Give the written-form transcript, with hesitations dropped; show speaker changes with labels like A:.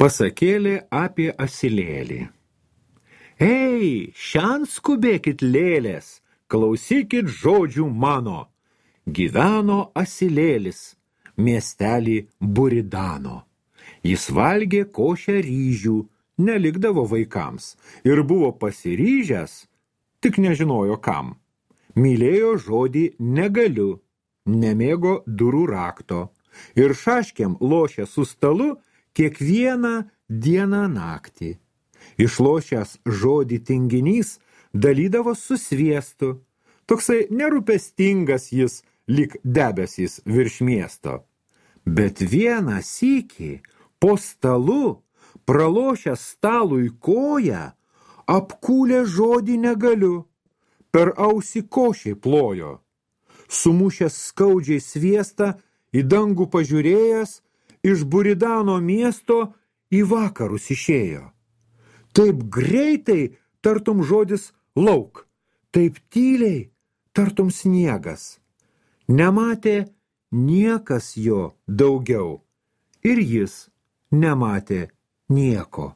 A: Pasakėlė apie asilėlį. Ei, šian skubėkit lėlės, klausykit žodžių mano. Gyveno asilėlis miestelį Buridano. Jis valgė košę ryžių, nelikdavo vaikams ir buvo pasiryžęs, tik nežinojo kam. Mylėjo žodį negaliu, nemėgo durų rakto ir šaškėm lošė su stalu kiekvieną dieną naktį. Išlošęs žodį tinginys dalydavo su sviestu. Toksai nerūpestingas jis lyg debesys virš miesto. Bet vieną sykį po stalu, pralošęs stalui koją, apkūlė žodį negaliu, per ausį košiai plojo. Sumušęs skaudžiai sviestą, į dangų pažiūrėjęs, iš Buridano miesto į vakarus išėjo. Taip greitai, tartum žodis lauk, taip tyliai, tartum sniegas. Nematė niekas jo daugiau, ir jis nematė nieko.